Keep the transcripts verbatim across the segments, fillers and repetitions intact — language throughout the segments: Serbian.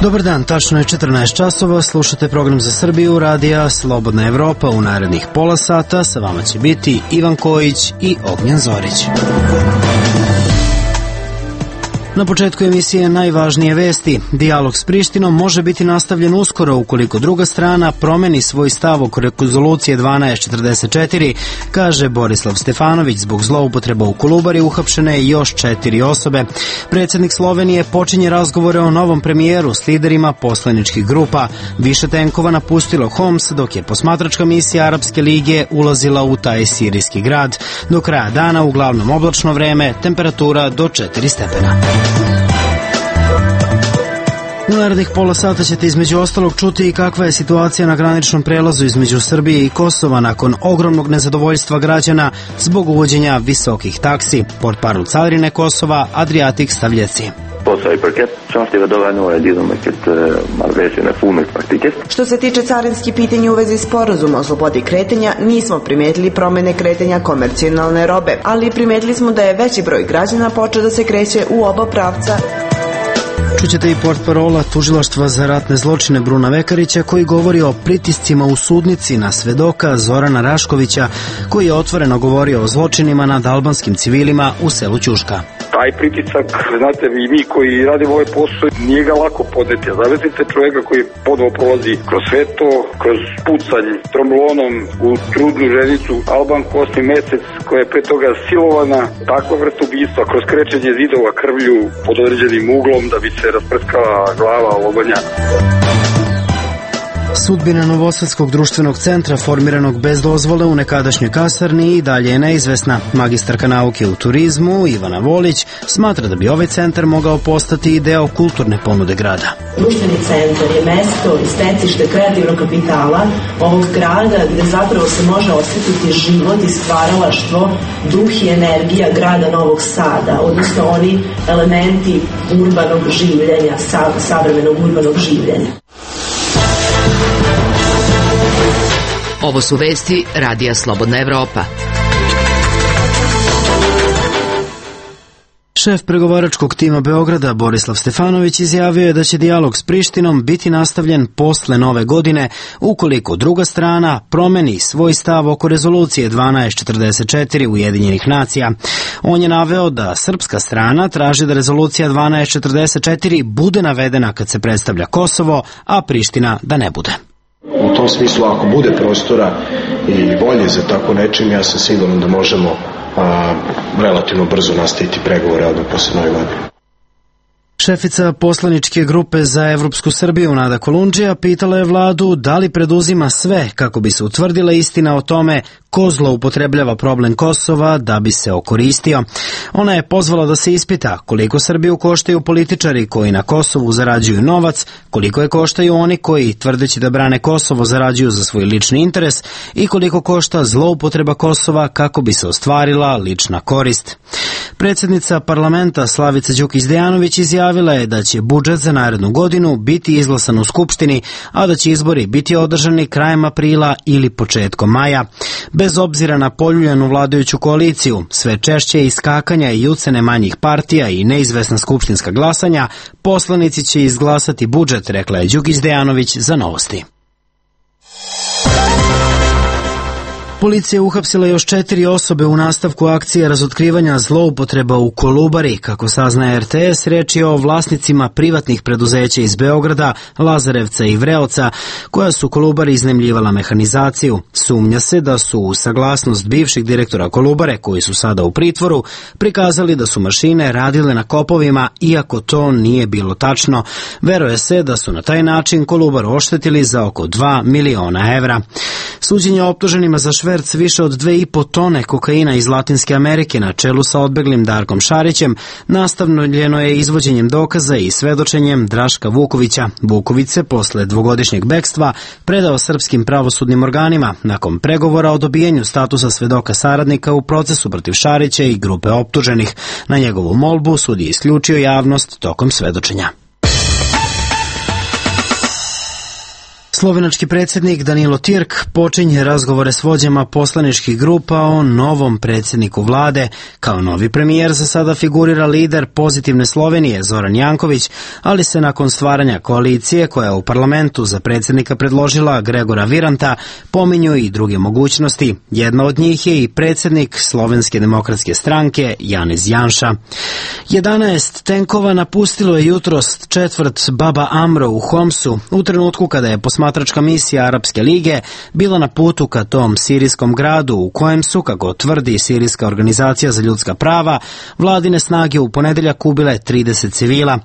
Dobar dan, tačno je četrnaest časova, slušate program za Srbiju, radija Slobodna Evropa. U narednih pola sata sa vama će biti Ivan Kojić i Ognjen Zorić. Na početku emisije najvažnije vesti. Dijalog s Prištinom može biti nastavljen uskoro ukoliko druga strana promeni svoj stav oko rezolucije dvanaest četrdeset četiri, kaže Borislav Stefanović. Zbog zloupotreba u Kolubari uhapšene još četiri osobe. Predsjednik Slovenije počinje razgovore o novom premijeru s liderima poslaničkih grupa. Više tenkova napustilo Homs, dok je posmatračka misija Arapske lige ulazila u taj sirijski grad. Do kraja dana uglavnom oblačno vreme, temperatura do četiri stepena. U narednih pola sata ćete između ostalog čuti i kakva je situacija na graničnom prelazu između Srbije i Kosova nakon ogromnog nezadovoljstva građana zbog uvođenja visokih taksi. Portparol carine Kosova, Adriatic Stavljeci. Što se tiče carinskih pitanja u vezi sporazuma o slobodi kretanja, nismo primetili promene kretanja komercijalne robe, ali primetili smo da je veći broj građana počeo da se kreće u oba pravca. Čućete i portparola Tužilaštva za ratne zločine Bruna Vekarića, koji govori o pritiscima u sudnici na svedoka Zorana Raškovića, koji je otvoreno govorio o zločinima nad albanskim civilima u selu Ćuška. Taj pritisak, znate, i mi koji radimo ovaj posao, nije ga lako podneti. Zamislite čovjeka koji ponovo prolazi kroz sve to, kroz pucanj tromlonom u trudnu ženicu, Albanku osmi mesec, koja je pre toga silovana, takva vrsta ubistva, kroz krečenje zidova krvlju pod određenim uglom da bi se rasprskala glava Lobanja. Sudbina Novosadskog društvenog centra formiranog bez dozvole u nekadašnjoj kasarni i dalje je neizvesna. Magistarka nauke u turizmu Ivana Volić smatra da bi ovaj centar mogao postati i deo kulturne ponude grada. Društveni centar je mesto i stecište kreativnog kapitala ovog grada gde zapravo se može osjetiti život i stvaralaštvo, duh i energija grada Novog Sada, odnosno oni elementi urbanog življenja, savremenog urbanog življenja. Ovo su vesti Radija Slobodna Evropa. Šef pregovaračkog tima Beograda Borislav Stefanović izjavio je da će dijalog s Prištinom biti nastavljen posle nove godine ukoliko druga strana promeni svoj stav oko rezolucije dvanaest četrdeset četiri Ujedinjenih nacija. On je naveo da srpska strana traži da rezolucija dvanaest četrdeset četiri bude navedena kad se predstavlja Kosovo, a Priština da ne bude. U tom smislu, ako bude prostora i volje za tako nečim, ja sam siguran da možemo a, relativno brzo nastaviti pregovore odmah posle nove godine. Šefica poslaničke grupe za Evropsku Srbiju Nada Kolundžija pitala je vladu da li preduzima sve kako bi se utvrdila istina o tome ko zloupotrebljava problem Kosova da bi se okoristio. Ona je pozvala da se ispita koliko Srbiju koštaju političari koji na Kosovu zarađuju novac, koliko je koštaju oni koji, tvrdeći da brane Kosovo, zarađuju za svoj lični interes i koliko košta zloupotreba Kosova kako bi se ostvarila lična korist. Predsjednica parlamenta Slavica Đukić Dejanović izjavila je da će budžet za narednu godinu biti izglasan u Skupštini, a da će izbori biti održani krajem aprila ili početkom maja. Bez obzira na poljuljanu vladajuću koaliciju, sve češće iskakanja i ucene manjih partija i neizvesna skupštinska glasanja, poslanici će izglasati budžet, rekla je Đukić Dejanović za Novosti. Policija je uhapsila još četiri osobe u nastavku akcije razotkrivanja zloupotreba u Kolubari. Kako saznaje R T S, reč je o vlasnicima privatnih preduzeća iz Beograda, Lazarevca i Vreoca, koja su Kolubari iznajmljivala mehanizaciju. Sumnja se da su u saglasnost bivših direktora Kolubare, koji su sada u pritvoru, prikazali da su mašine radile na kopovima, iako to nije bilo tačno. Veruje se da su na taj način Kolubaru oštetili za oko dva miliona evra. Suđenje optuženima za šverc više od dve i po tone kokaina iz Latinske Amerike na čelu sa odbeglim Darkom Šarićem nastavljeno je izvođenjem dokaza i svedočenjem Draška Vukovića. Vuković se posle dvogodišnjeg bekstva predao srpskim pravosudnim organima nakon pregovora o dobijenju statusa svedoka saradnika u procesu protiv Šarića i grupe optuženih. Na njegovu molbu sud je isključio javnost tokom svedočenja. Slovenački predsjednik Danilo Tirk počinje razgovore s vođama poslaničkih grupa o novom predsjedniku vlade. Kao novi premijer za sada figurira lider Pozitivne Slovenije Zoran Janković, ali se nakon stvaranja koalicije koja je u parlamentu za predsjednika predložila Gregora Viranta pominju i druge mogućnosti. Jedna od njih je i predsjednik Slovenske demokratske stranke Janez Janša. jedanaest tenkova napustilo je jutros četvrt Baba Amro u Homsu u trenutku kada je posmatračka misija Arapske lige bila na putu ka tom sirijskom gradu u kojem su, kako tvrdi Sirijska organizacija za ljudska prava, vladine snage u ponedeljak ubile trideset civila.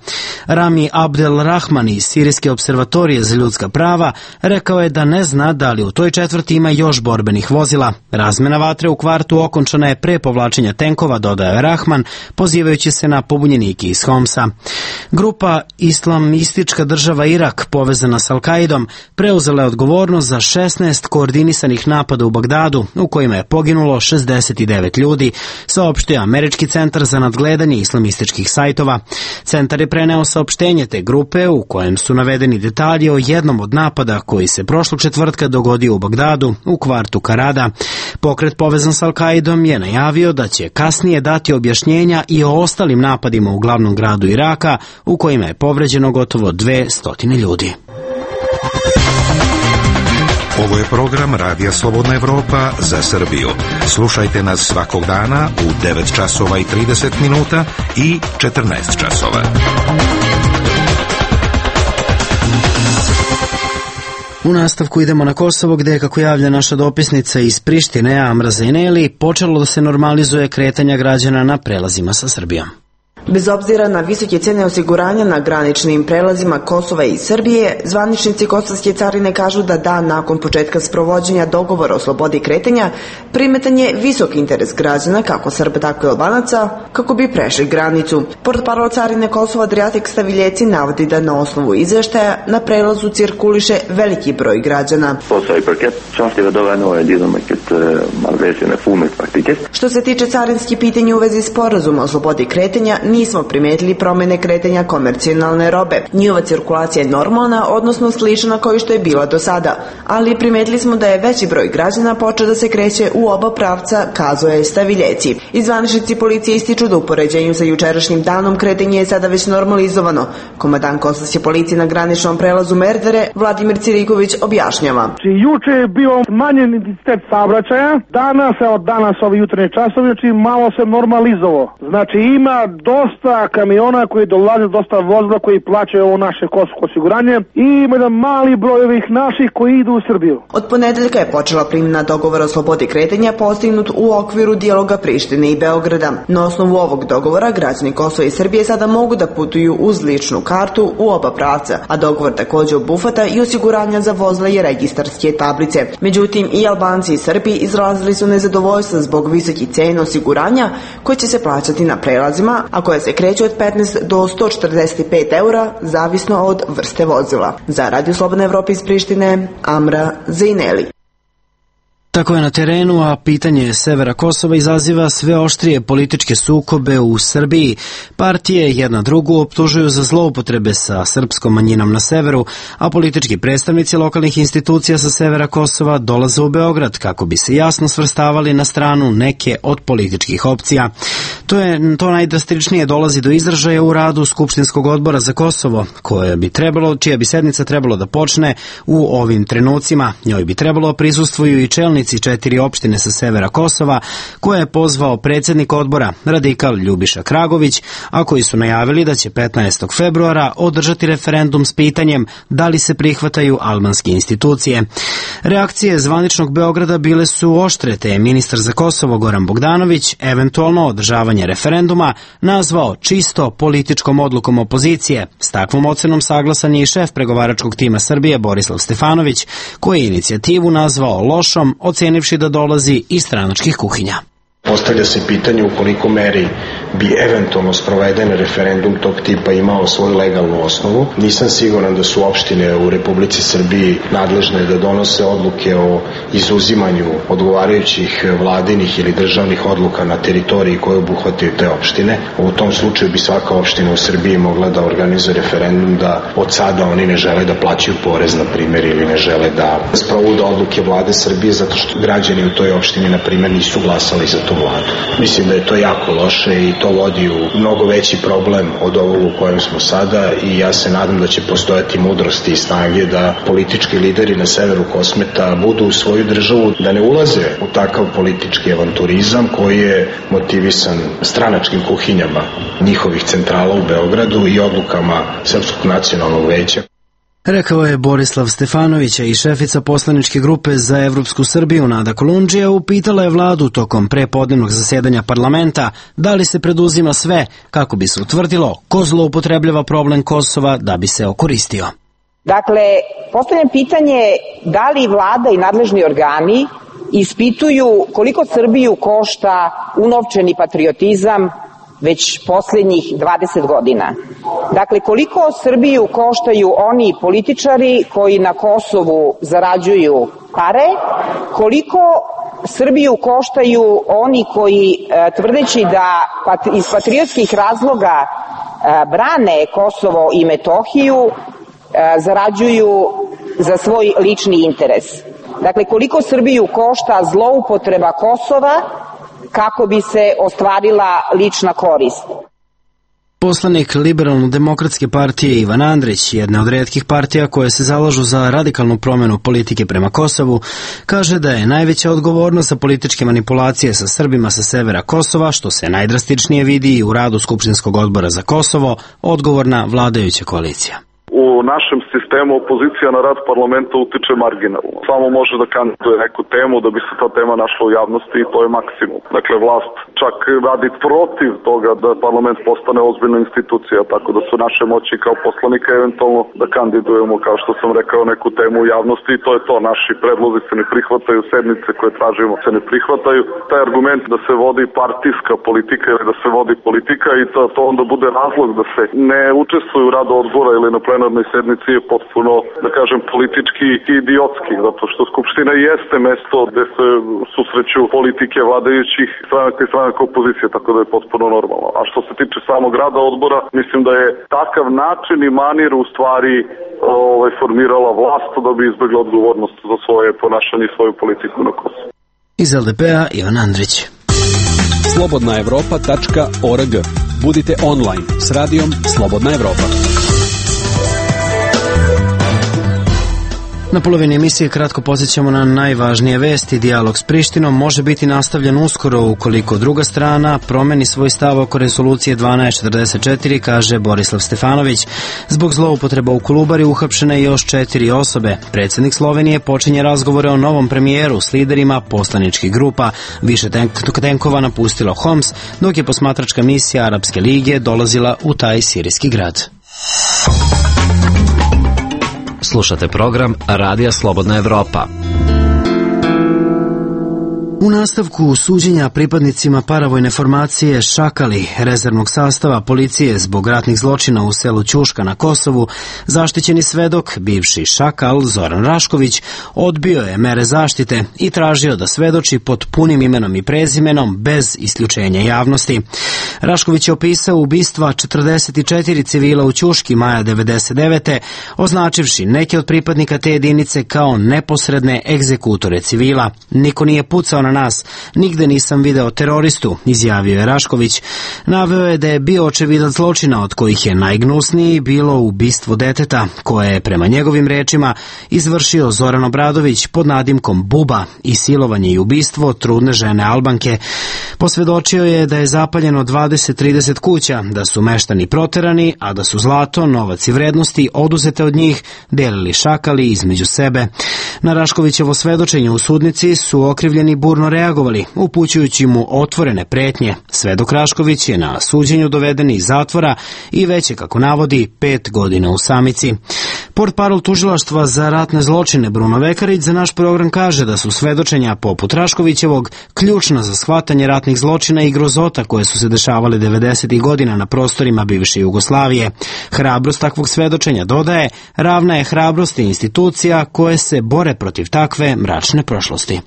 Rami Abdel Rahman iz Sirijske observatorije za ljudska prava rekao je da ne zna da li u toj četvrti ima još borbenih vozila. Razmena vatre u kvartu okončana je pre povlačenja tenkova, dodao je Rahman, pozivajući se na pobunjenike iz Homsa. Grupa Islamistička država Irak, povezana s Al-Kaidom, preuzela je odgovornost za šesnaest koordinisanih napada u Bagdadu, u kojima je poginulo šezdeset devet ljudi, saopštio Američki centar za nadgledanje islamističkih sajtova. Centar je preneo saopštenje te grupe u kojem su navedeni detalji o jednom od napada koji se prošlog četvrtka dogodio u Bagdadu, u kvartu Karada. Pokret povezan s Al-Kaidom je najavio da će kasnije dati objašnjenja i o ostalim napadima u glavnom gradu Iraka, u kojima je povređeno gotovo dve stotine ljudi. Ovo je program Radija Slobodna Evropa za Srbiju. Slušajte nas svakog dana u devet časova i trideset minuta i četrnaest časova. U nastavku idemo na Kosovo, gde je, kako javlja naša dopisnica iz Prištine, Amra Zejneli, počelo da se normalizuje kretanja građana na prelazima sa Srbijom. Bez obzira na visoke cene osiguranja na graničnim prelazima Kosova i Srbije, zvaničnici kosovske carine kažu da dan nakon početka sprovođenja dogovora o slobodi kretanja primetan je visok interes građana, kako Srba, tako i Albanaca, kako bi prešli granicu. Portparol carine Kosova Adriatic Staviljeci navodi da na osnovu izveštaja na prelazu cirkuliše veliki broj građana. Što se tiče carinskih pitanja u vezi sporazuma o slobodi kretanja, nismo primetili promene kretanja komercijalne robe. Njihova cirkulacija je normalna, odnosno slična kao što je bila do sada, ali primetili smo da je veći broj građana počeo da se kreće u oba pravca, kazao je Staviljeci. I zvaničnici policije ističu da u poređenju sa jučerašnjim danom kretanje je sada već normalizovano. Komandant kosovske policije na graničnom prelazu Merdare, Vladimir Ciriković, objašnjava. Juče je bio smanjen intenzitet saobraćaja, danas, od danas ove jutarnje časove, znači malo se normalizovao. Znači ima dosta kamiona koji dolaze, dosta vozila koji plaćaju ovo naše kosovsko osiguranje i ima jedan mali broj ovih naših koji idu u Srbiju. Od ponedeljka je počela primjena dogovora o slobodi kretanja postignut u okviru dijaloga Prištine i Beograda. Na osnovu ovog dogovora građani Kosova i Srbije sada mogu da putuju uz ličnu kartu u oba pravca, a dogovor također obuhvata i osiguranja za vozila i registarske tablice. Međutim, i Albanci i Srbi izrazili su nezadovoljstvo zbog visokih cena osiguranja koje će se plaćati na prelazima, a koje se kreću od petnaest do sto četrdeset pet eura, zavisno od vrste vozila. Za Radio Slobodna Evropa iz Prištine, Amra Zejneli. Tako je na terenu, a pitanje severa Kosova izaziva sve oštrije političke sukobe u Srbiji. Partije jedna drugu optužuju za zloupotrebe sa srpskom manjinom na severu, a politički predstavnici lokalnih institucija sa severa Kosova dolaze u Beograd kako bi se jasno svrstavali na stranu neke od političkih opcija. To je to najdrastičnije dolazi do izražaja u radu Skupštinskog odbora za Kosovo, koje bi trebalo, čija bi sednica trebalo da počne u ovim trenucima. Njoj bi trebalo prisustvuju i čelnici četiri opštine sa severa Kosova, koje je pozvao predsjednik odbora, radikal Ljubiša Kragović, a koji su najavili da će petnaestog februara održati referendum s pitanjem da li se prihvataju albanske institucije. Reakcije zvaničnog Beograda bile su oštre, te je ministar za Kosovo Goran Bogdanović eventualno održavanje referenduma nazvao čisto političkom odlukom opozicije. S takvom ocenom saglasan je i šef pregovaračkog tima Srbije Borislav Stefanović, koji je inicijativu nazvao lošom, ocenivši da dolazi iz stranačkih kuhinja. Postavlja se pitanje u koliko meri bi eventualno sproveden referendum tog tipa imao svoju legalnu osnovu. Nisam siguran da su opštine u Republici Srbiji nadležne da donose odluke o izuzimanju odgovarajućih vladinih ili državnih odluka na teritoriji koje obuhvataju te opštine. U tom slučaju bi svaka opština u Srbiji mogla da organizuje referendum da od sada oni ne žele da plaćaju porez, na primjer, ili ne žele da sprovude odluke vlade Srbije zato što građani u toj opštini, na primjer, nisu glasali za tu vladu. Mislim da je to jako loše i to vodi u mnogo veći problem od ovog u kojem smo sada i ja se nadam da će postojati mudrosti i snage da politički lideri na severu Kosmeta budu u svoju državu, da ne ulaze u takav politički avanturizam koji je motivisan stranačkim kuhinjama njihovih centrala u Beogradu i odlukama Srpskog nacionalnog veća. Rekao je Borislav Stefanović, i šefica poslaničke grupe za Evropsku Srbiju Nada Kolundžija upitala je vladu tokom prepodnevnog zasedanja parlamenta da li se preduzima sve kako bi se utvrdilo ko zloupotrebljava problem Kosova da bi se okoristio. Dakle, postavljam pitanje da li vlada i nadležni organi ispituju koliko Srbiju košta unovčeni patriotizam već posljednjih dvadeset godina. Dakle, koliko Srbiju koštaju oni političari koji na Kosovu zarađuju pare, koliko Srbiju koštaju oni koji, tvrdeći da iz patriotskih razloga brane Kosovo i Metohiju, zarađuju za svoj lični interes. Dakle, koliko Srbiju košta zloupotreba Kosova kako bi se ostvarila lična korist. Poslanik Liberalno-demokratske partije Ivan Andrić, jedna od retkih partija koje se zalažu za radikalnu promjenu politike prema Kosovu, kaže da je najveća odgovornost za političke manipulacije sa Srbima sa severa Kosova, što se najdrastičnije vidi i u radu Skupštinskog odbora za Kosovo, odgovorna vladajuća koalicija. U našem sistemu opozicija na rad parlamenta utiče marginalno. Samo može da kandiduje neku temu da bi se ta tema našla u javnosti i to je maksimum. Dakle, vlast čak radi protiv toga da parlament postane ozbiljna institucija, tako da su naše moći kao poslanika eventualno da kandidujemo, kao što sam rekao, neku temu u javnosti i to je to. Naši predlozi se ne prihvataju, sednice koje tražimo se ne prihvataju. Taj argument da se vodi partijska politika ili da se vodi politika i to, to onda bude razlog da se ne učestvuju u radu odbora ili na plenarnoj sednici je potpuno, da kažem, politički i idiotski, zato što Skupština jeste mesto gde se susreću politike vladajućih stranaka i stranaka opozicije, tako da je potpuno normalno. A što se tiče samog rada odbora, mislim da je takav način i manir u stvari ovaj, formirala vlast da bi izbjegla odgovornost za svoje ponašanje i svoju politiku na Kosovu. Iz el de pe-a Ivan Andrić. slobodna evropa tačka org. Budite online s radijom Slobodna Evropa. Na polovini emisije kratko podsjećamo na najvažnije vesti. Dijalog s Prištinom može biti nastavljen uskoro ukoliko druga strana promeni svoj stav oko rezolucije dvanaest četrdeset četiri, kaže Borislav Stefanović. Zbog zloupotreba u Kolubari uhapšene još četiri osobe. Predsjednik Slovenije počinje razgovore o novom premijeru s liderima poslaničkih grupa. Više tenkova napustilo Homs, dok je posmatračka misija Arapske lige dolazila u taj sirijski grad. Slušate program Radija Slobodna Evropa. U nastavku suđenja pripadnicima paravojne formacije Šakali, rezervnog sastava policije zbog ratnih zločina u selu Ćuška na Kosovu, zaštićeni svedok, bivši Šakal Zoran Rašković, odbio je mere zaštite i tražio da svedoči pod punim imenom i prezimenom bez isključenja javnosti. Rašković je opisao ubistva četrdeset četiri civila u Ćuški maja devedeset devete, označivši neke od pripadnika te jedinice kao neposredne egzekutore civila. Niko nije pucao na nas, nigde nisam video teroristu, izjavio je Rašković. Naveo je da je bio očevidac zločina od kojih je najgnusniji bilo ubistvo deteta, koje je prema njegovim rečima izvršio Zoran Obradović pod nadimkom Buba i silovanje i ubistvo trudne žene Albanke. Posvedočio je da je zapaljeno dvadeset do trideset kuća, da su meštani proterani, a da su zlato, novac i vrednosti oduzete od njih delili Šakali između sebe. Na Raškovićevo svedočenje u sudnici su okrivljeni burno reagovali, upućujući mu otvorene pretnje. Svedok Rašković je na suđenju doveden iz zatvora i već je, kako navodi, pet godina u samici. Portparol tužilaštva za ratne zločine Bruno Vekarić za naš program kaže da su svedočenja poput Raškovićevog ključna za shvatanje ratnih zločina i grozota koje su se dešavale devedesetih godina na prostorima bivše Jugoslavije. Hrabrost takvog svedočenja, dodaje, ravna je hrabrosti institucija koje se bore protiv takve mračne prošlosti.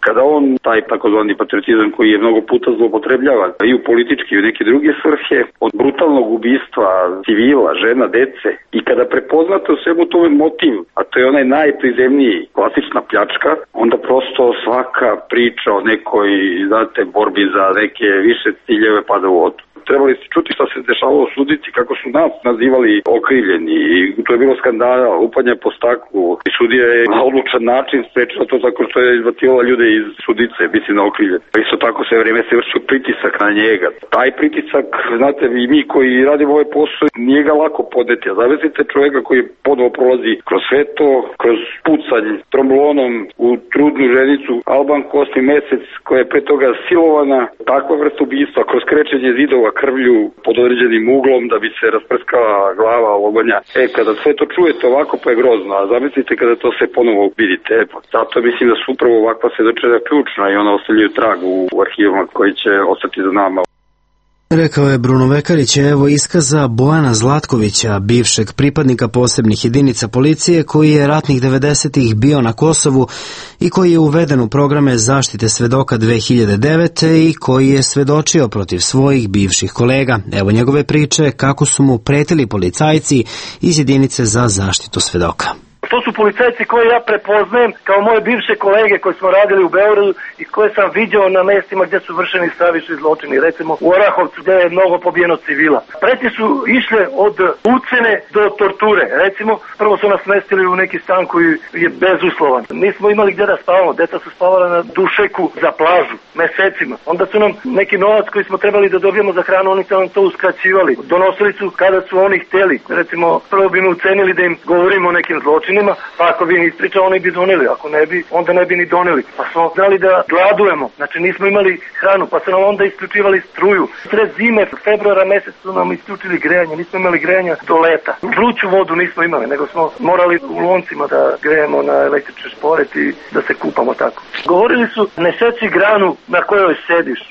Kada on, taj takozvani patriotizam koji je mnogo puta zloupotrebljavan i u politički i u neke druge svrhe, od brutalnog ubistva civila, žena, dece, i kada prepoznate u svemu tome motiv, a to je onaj najprizemniji, klasična pljačka, onda prosto svaka priča o nekoj, znate, borbi za neke više ciljeve pada u vodu. Trebali ste čuti šta se dešavalo u sudnici, kako su nas nazivali okrivljeni, i to je bilo skandala, lupanje po staklu, i sudija je na odlučan način sprečila to tako što je izbacivala ljude iz sudnice, mislim na okrivljeni. Isto tako sve vreme se vršio pritisak na njega. Taj pritisak, znate, i mi koji radimo ovaj posao, nije ga lako podneti. A zamislite čovjeka koji ponovo prolazi kroz sve to, kroz pucanj tromblonom u trudnu ženicu, Albanku osmi mesec, koja je pre toga silovana, takva vrsta ubistva, kroz krečenje zidova krvlju pod određenim uglom da bi se rasprskala glava ovoga. E, kada sve to čujete ovako, pa je grozno, a zamislite kada to sve ponovo vidite. E, pa, zato mislim da su upravo ovakva svedočenja ključna i ona ostavljaju trag u, u arhivima koji će ostati za nama. Rekao je Bruno Vekarić. Evo iskaza Bojana Zlatkovića, bivšeg pripadnika posebnih jedinica policije koji je ratnih devedesetih bio na Kosovu i koji je uveden u programe zaštite svedoka dve hiljade devete. i koji je svedočio protiv svojih bivših kolega. Evo njegove priče kako su mu pretili policajci iz jedinice za zaštitu svedoka. To su policajci koje ja prepoznajem kao moje bivše kolege koji smo radili u Beogradu i koje sam viđao na mestima gdje su vršeni stravični zločini, recimo u Orahovcu gdje je mnogo pobijeno civila. Pretnje su išle od ucene do torture. Recimo, prvo su nas smestili u neki stan koji je bezuslovan. Nismo imali gdje da spavamo, deca su spavala na dušeku za plažu mesecima. Onda su nam neki novac koji smo trebali da dobijemo za hranu, oni su nam to uskraćivali. Donosili su kada su oni htjeli. Recimo, prvo bi mi ucenili da im govorimo o nekim zločinima, pa ako bi im ispričao, oni bi doneli, ako ne bi, onda ne bi ni doneli. Pa smo znali da gladujemo, znači nismo imali hranu, pa su nam onda isključivali struju. Sred zime, februara mesec su nam isključili grejanje, nismo imali grejanja do leta. Vruću vodu nismo imali, nego smo morali u loncima da grejemo na električni šporet i da se kupamo tako. Govorili su, ne seci granu na kojoj sediš.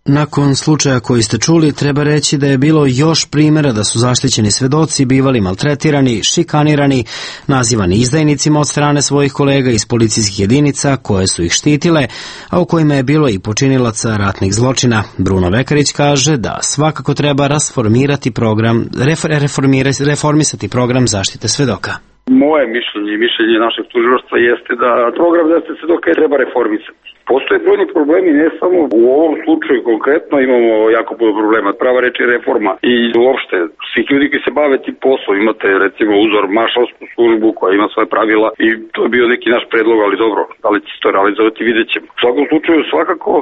Nakon slučaja koji ste čuli, treba reći da je bilo još primjera da su zaštićeni svedoci bivali maltretirani, šikanirani, nazivani izdajnicima od strane svojih kolega iz policijskih jedinica koje su ih štitile, a u kojima je bilo i počinilaca ratnih zločina. Bruno Vekarić kaže da svakako treba rasformirati program, reformirati, reformisati program zaštite svedoka. Moje mišljenje i mišljenje našeg tužilaštva jeste da program zaštite svedoka treba reformisati. Postoje brojni problemi, ne samo u ovom slučaju konkretno, imamo jako puno problema. Prava reč je reforma i uopšte svih ljudi koji se bave tim poslom. Imate recimo uzor maršalsku službu koja ima svoje pravila i to je bio neki naš predlog, ali dobro, da li će se to realizovati, vidjet ćemo. U svakom slučaju svakako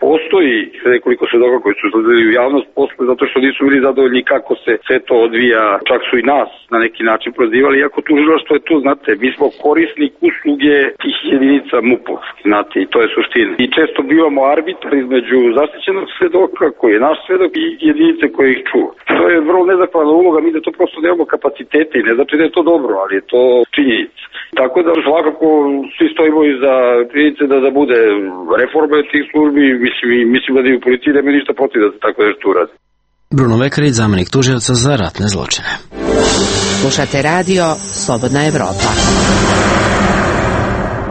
postoji nekoliko svedoka koji su izlazili u javnost posle zato što nisu bili zadovoljni kako se sve to odvija, čak su i nas na neki način prozivali, iako tužilaštvo je tu, znate, mi smo korisnik usluge tih jedinica MUP-ovskih, znate, i to je suština. I često bivamo arbitar između zaštićenog svedoka, koji je naš svedok, i jedinice koje ih čuva. To je vrlo nezahvalna uloga, mi da to prosto nemamo kapacitete i ne znači da je to dobro, ali je to činjenica. Tako da svakako svi stojimo iza činjenice da, da bude reforma tih službi, mislim, mislim da i u policiji nema ništa protiv da se tako nešto uradi. Bruno Vekarić, zamenik tužioca za ratne zločine. Slušate radio Slobodna Evropa.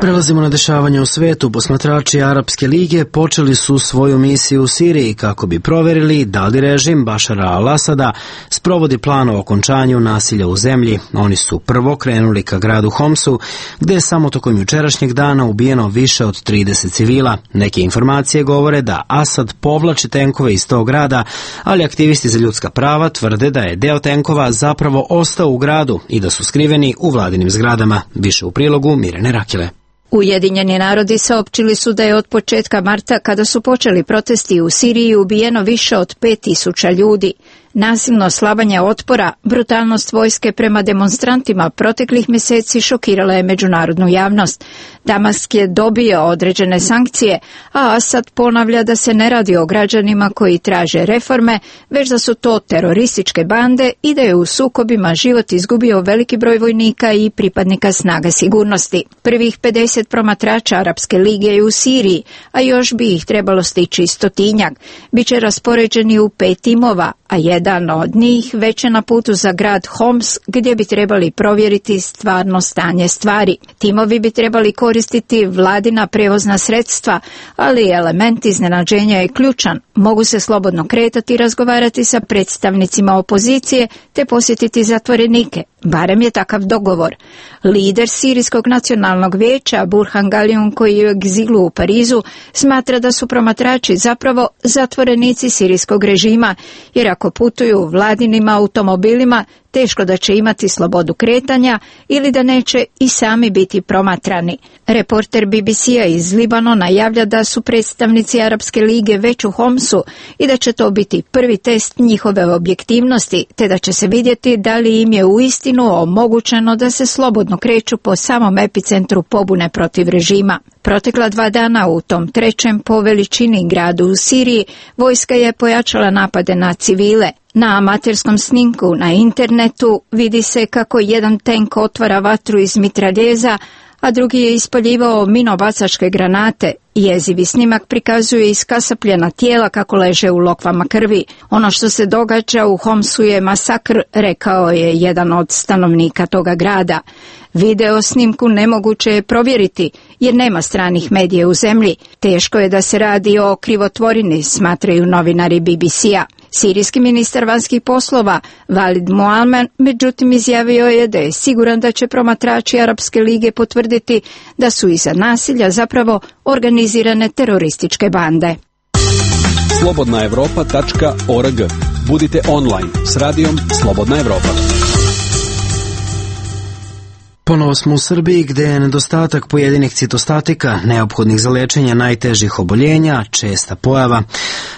Prelazimo na dešavanje u svetu. Posmatrači Arapske lige počeli su svoju misiju u Siriji kako bi proverili da li režim Bašara al-Asada sprovodi plan o okončanju nasilja u zemlji. Oni su prvo krenuli ka gradu Homsu, gde je samo tokom jučerašnjeg dana ubijeno više od trideset civila. Neke informacije govore da Asad povlači tenkove iz tog grada, ali aktivisti za ljudska prava tvrde da je deo tenkova zapravo ostao u gradu i da su skriveni u vladinim zgradama. Više u prilogu Mirjane Rakile. Ujedinjeni narodi saopćili su da je od početka marta, kada su počeli protesti u Siriji, ubijeno više od pet tisuća ljudi. Nasilno slabanje otpora, brutalnost vojske prema demonstrantima proteklih mjeseci šokirala je međunarodnu javnost. Damask je dobio određene sankcije, a Asad ponavlja da se ne radi o građanima koji traže reforme, već da su to terorističke bande i da je u sukobima život izgubio veliki broj vojnika i pripadnika snaga sigurnosti. Prvih pedeset promatrača Arapske lige je u Siriji, a još bi ih trebalo stići stotinjak. Biće raspoređeni u pet timova, a jedan od njih već je na putu za grad Homs, gdje bi trebali provjeriti stvarno stanje stvari. Timovi bi trebali koristiti vladina prevozna sredstva, ali element iznenađenja je ključan. Mogu se slobodno kretati i razgovarati sa predstavnicima opozicije te posjetiti zatvorenike. Barem je takav dogovor. Lider Sirijskog nacionalnog vijeća Burhan Galioun, koji je u egzilu u Parizu, smatra da su promatrači zapravo zatvorenici sirijskog režima, jer ako putuju vladinim automobilima, teško da će imati slobodu kretanja ili da neće i sami biti promatrani. Reporter B B C-a iz Libanona javlja da su predstavnici Arapske lige već u Homsu i da će to biti prvi test njihove objektivnosti, te da će se vidjeti da li im je uistinu omogućeno da se slobodno kreću po samom epicentru pobune protiv režima. Protekla dva dana u tom trećem po veličini gradu u Siriji vojska je pojačala napade na civile. Na amaterskom snimku na internetu vidi se kako jedan tank otvara vatru iz mitraljeza, a drugi je ispaljivao minobacačke granate. Jezivi snimak prikazuje iskasapljena tijela kako leže u lokvama krvi. Ono što se događa u Homsu je masakr, rekao je jedan od stanovnika toga grada. Video snimku nemoguće je provjeriti jer nema stranih medija u zemlji. Teško je da se radi o krivotvorini, smatraju novinari B B C-a. Sirijski ministar vanjskih poslova Walid Muammar međutim izjavio je da je siguran da će promatrači Arapske lige potvrditi da su iza nasilja zapravo organizirane terorističke bande. slobodna evropa tačka org. Budite online s radijom Slobodna Evropa. Ponovo smo u Srbiji, gde je nedostatak pojedinih citostatika, neophodnih za lečenje najtežih oboljenja, česta pojava.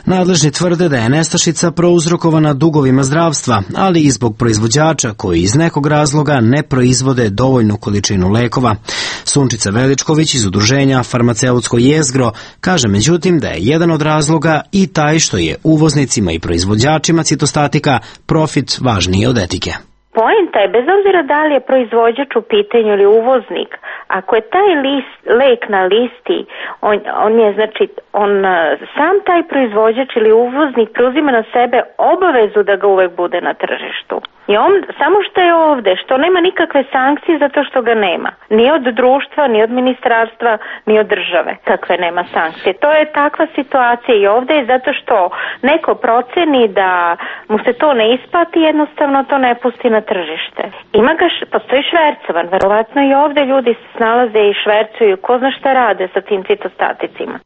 Nadležni tvrde da je nestašica prouzrokovana dugovima zdravstva, ali i zbog proizvođača koji iz nekog razloga ne proizvode dovoljnu količinu lekova. Sunčica Veličković iz udruženja Farmaceutsko jezgro kaže međutim da je jedan od razloga i taj što je uvoznicima i proizvođačima citostatika profit važniji od etike. Poenta je, bez obzira da li je proizvođač u pitanju ili uvoznik, ako je taj list, lek na listi, on, on je, znači, on sam taj proizvođač ili uvoznik preuzima na sebe obavezu da ga uvek bude na tržištu. I on, samo što je ovde, što nema nikakve sankcije zato što ga nema. Ni od društva, ni od ministarstva, ni od države. Takve nema sankcije. To je takva situacija i ovde je zato što neko proceni da mu se to ne isplati, jednostavno to ne pusti na tržište. Ima ga, postoji švercovan, verovatno i ovde ljudi se snalaze i švercuju, ko zna šta rade sa tim citostaticima.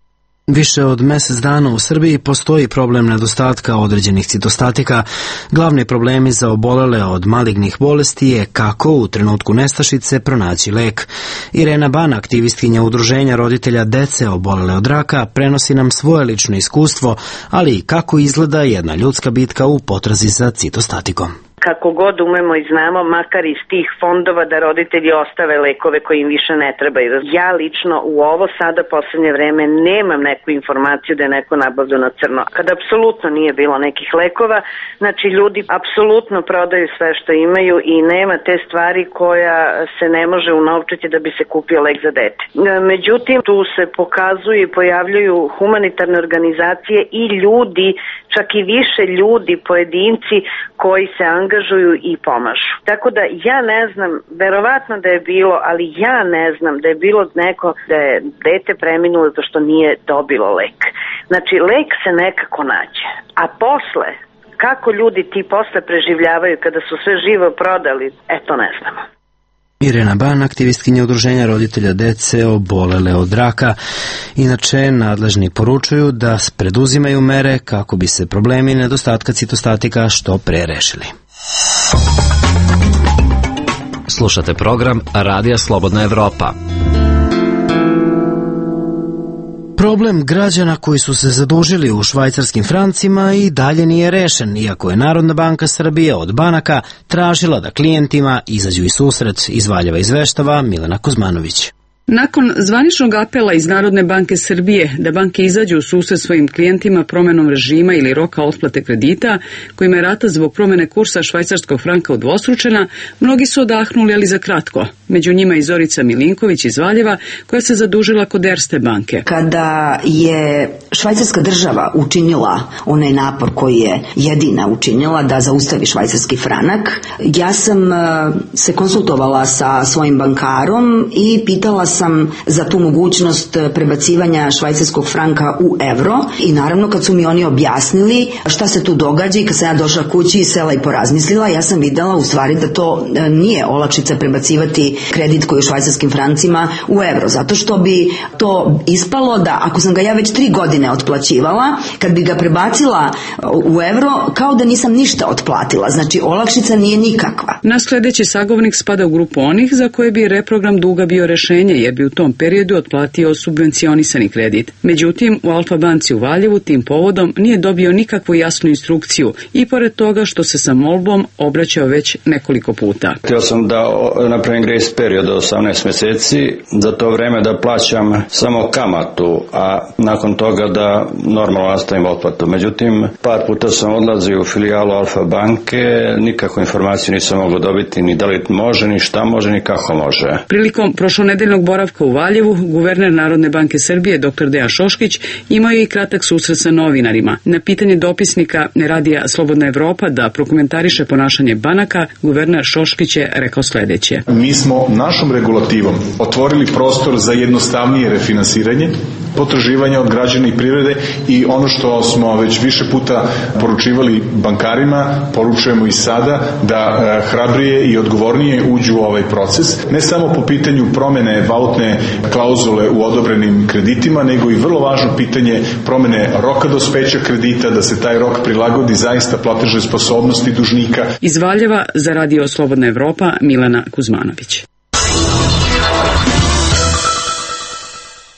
Više od mjesec dana u Srbiji postoji problem nedostatka određenih citostatika. Glavni problemi za obolele od malignih bolesti je kako u trenutku nestašice pronaći lek. Irena Ban, aktivistkinja udruženja roditelja dece obolele od raka, prenosi nam svoje lično iskustvo, ali i kako izgleda jedna ljudska bitka u potrazi za citostatikom. Kako god umemo i znamo, makar iz tih fondova, da roditelji ostave lekove koji im više ne trebaju. Ja lično u ovo sada posljednje vreme nemam neku informaciju da je neko nabavljao na crno. Kada apsolutno nije bilo nekih lekova, znači ljudi apsolutno prodaju sve što imaju i nema te stvari koja se ne može unovčiti da bi se kupio lek za dete. Međutim, tu se pokazuju i pojavljuju humanitarne organizacije i ljudi, čak i više ljudi, pojedinci koji se angažuju i pomažu. Tako da ja ne znam, verovatno da je bilo, ali ja ne znam da je bilo neko da je dete preminulo zato što nije dobilo lek. Znači, lek se nekako nađe. A posle, kako ljudi ti posle preživljavaju kada su sve živo prodali, eto ne znamo. Irena Ban, aktivistkinja udruženja roditelja dece obolele od raka. Inače, nadležni poručuju da preduzimaju mere kako bi se problemi nedostatka citostatika što pre rešili. Slušate program Radija Slobodna Evropa. Problem građana koji su se zadužili u švajcarskim francima i dalje nije rešen, iako je Narodna banka Srbije od banaka tražila da klijentima izađu i susret, iz Valjeva izveštava Milena Kuzmanović. Nakon zvaničnog apela iz Narodne banke Srbije da banke izađu u susret svojim klijentima promenom režima ili roka otplate kredita, kojima je rata zbog promene kursa švajcarskog franka udvostručena, mnogi su odahnuli, ali za kratko. Među njima i Zorica Milinković iz Valjeva, koja se zadužila kod Erste banke. Kada je švajcarska država učinila onaj napor koji je jedina učinila da zaustavi švajcarski franak, ja sam se konsultovala sa svojim bankarom i pitala sam za tu mogućnost prebacivanja švajcarskog franka u evro i naravno kad su mi oni objasnili šta se tu događa i kad sam ja došla kući i sela i porazmislila, ja sam videla u stvari da to nije olakšica prebacivati kredit koji je u švajcarskim francima u evro, zato što bi to ispalo da ako sam ga ja već tri godine otplaćivala, kad bi ga prebacila u evro, kao da nisam ništa otplatila, znači olakšica nije nikakva. Naš sledeći sagovornik spada u grupu onih za koje bi reprogram duga bio rešenje, jer bi u tom periodu otplatio subvencionisani kredit. Međutim, u Alfa banci u Valjevu tim povodom nije dobio nikakvu jasnu instrukciju i pored toga što se sa molbom obraćao već nekoliko puta. Htio sam da napravim grace period od osamnaest meseci, za to vreme da plaćam samo kamatu, a nakon toga da normalno nastavim otplatu. Međutim, par puta sam odlazio u filijalu Alfa banke, nikakvu informaciju nisam mogao dobiti ni da li može, ni šta može, ni kako može. Prilikom prošlonedeljnog boravka u Valjevu, guverner Narodne banke Srbije dr Dejan Šoškić imao je i kratak susret sa novinarima. Na pitanje dopisnika radija Slobodna Evropa da prokomentariše ponašanje banaka, guverner Šoškić je rekao sledeće. Mi smo našom regulativom otvorili prostor za jednostavnije refinansiranje potraživanja od građana i privrede i ono što smo već više puta poručivali bankarima, poručujemo i sada da hrabrije i odgovornije uđu u ovaj proces, ne samo po pitanju promene valutne klauzule u odobrenim kreditima, nego i vrlo važno pitanje promene roka dospeća kredita, da se taj rok prilagodi zaista platežnoj sposobnosti dužnika. Iz Valjeva za radio Slobodna Evropa Milena Kuzmanović.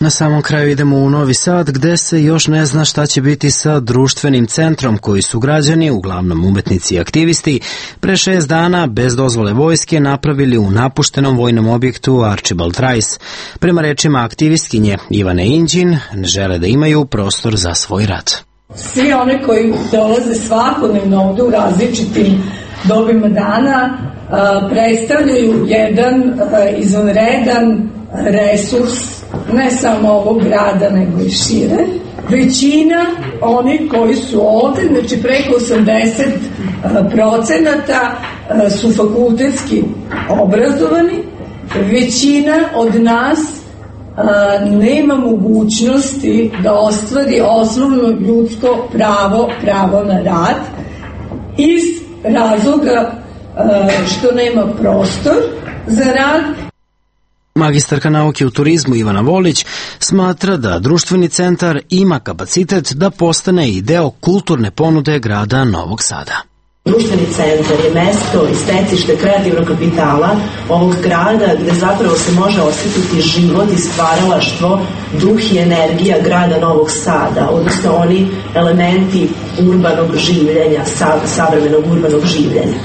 Na samom kraju idemo u Novi Sad, gde se još ne zna šta će biti sa društvenim centrom koji su građani, uglavnom umetnici i aktivisti, pre šest dana bez dozvole vojske napravili u napuštenom vojnom objektu Archibald Rice. Prema rečima aktivistkinje Ivane Inđin, ne žele da imaju prostor za svoj rad. Svi one koji dolaze svakodnevno ovde u različitim dobima dana predstavljaju jedan izvanredan resurs ne samo ovog grada, nego i šire. Većina onih koji su ovde, znači preko osamdeset procenata su fakultetski obrazovani. Većina od nas nema mogućnosti da ostvari osnovno ljudsko pravo, pravo na rad, iz razloga što nema prostor za rad. Magistarka nauke u turizmu Ivana Volić smatra da društveni centar ima kapacitet da postane i deo kulturne ponude grada Novog Sada. Društveni centar je mesto i stecište kreativnog kapitala ovog grada gde zapravo se može osjetiti život i stvaralaštvo, duh i energija grada Novog Sada, odnosno oni elementi urbanog življenja, savremenog urbanog življenja.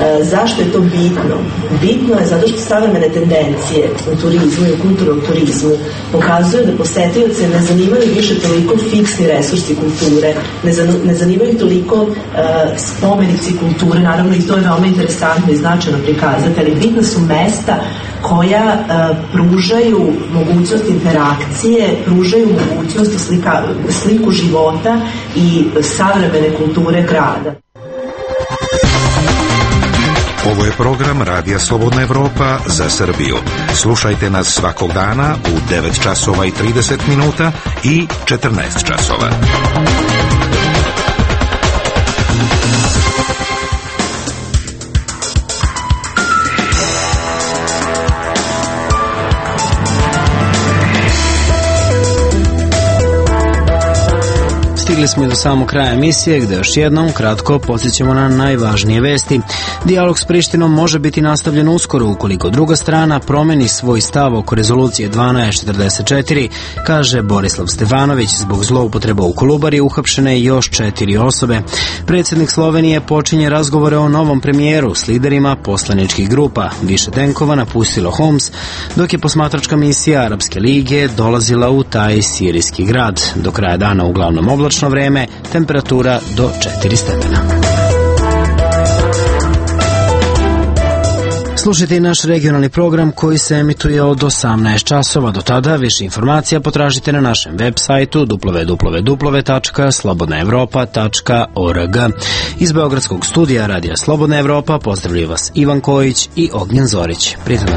E, zašto je to bitno? Bitno je zato što savremene tendencije u turizmu i u kulturnom turizmu pokazuju da posetioce ne zanimaju više toliko fiksni resursi kulture, ne, zan, ne zanimaju toliko e, spomenici kulture, naravno i to je veoma interesantno i značajno prikazati, ali bitna su mesta koja e, pružaju mogućnost interakcije, pružaju mogućnost slika, sliku života i savremene kulture grada. Ovo je program Radija Slobodna Evropa za Srbiju. Slušajte nas svakog dana u devet časova i trideset minuta i četrnaest časova. Stigli smo i do samog kraja emisije, gde još jednom kratko podsjećamo na najvažnije vesti. Dijalog s Prištinom može biti nastavljen uskoro ukoliko druga strana promeni svoj stav oko rezolucije dvanaest četrdeset četiri, kaže Borislav Stefanović. Zbog zloupotreba u Kolubari uhapšene još četiri osobe. Predsjednik Slovenije počinje razgovore o novom premijeru s liderima poslaničkih grupa. Više tenkova napustilo Homs, dok je posmatračka misija Arapske lige dolazila u taj sirijski grad. Do kraja dana uglavnom oblačno vreme, temperatura do četiri stepena. Slušajte i naš regionalni program koji se emituje od osamnaest časova. Do tada više informacija potražite na našem web sajtu w w w tačka slobodna evropa tačka org. Iz Beogradskog studija Radija Slobodna Evropa pozdravljaju vas Ivan Kojić i Ognjen Zorić. Prijatno.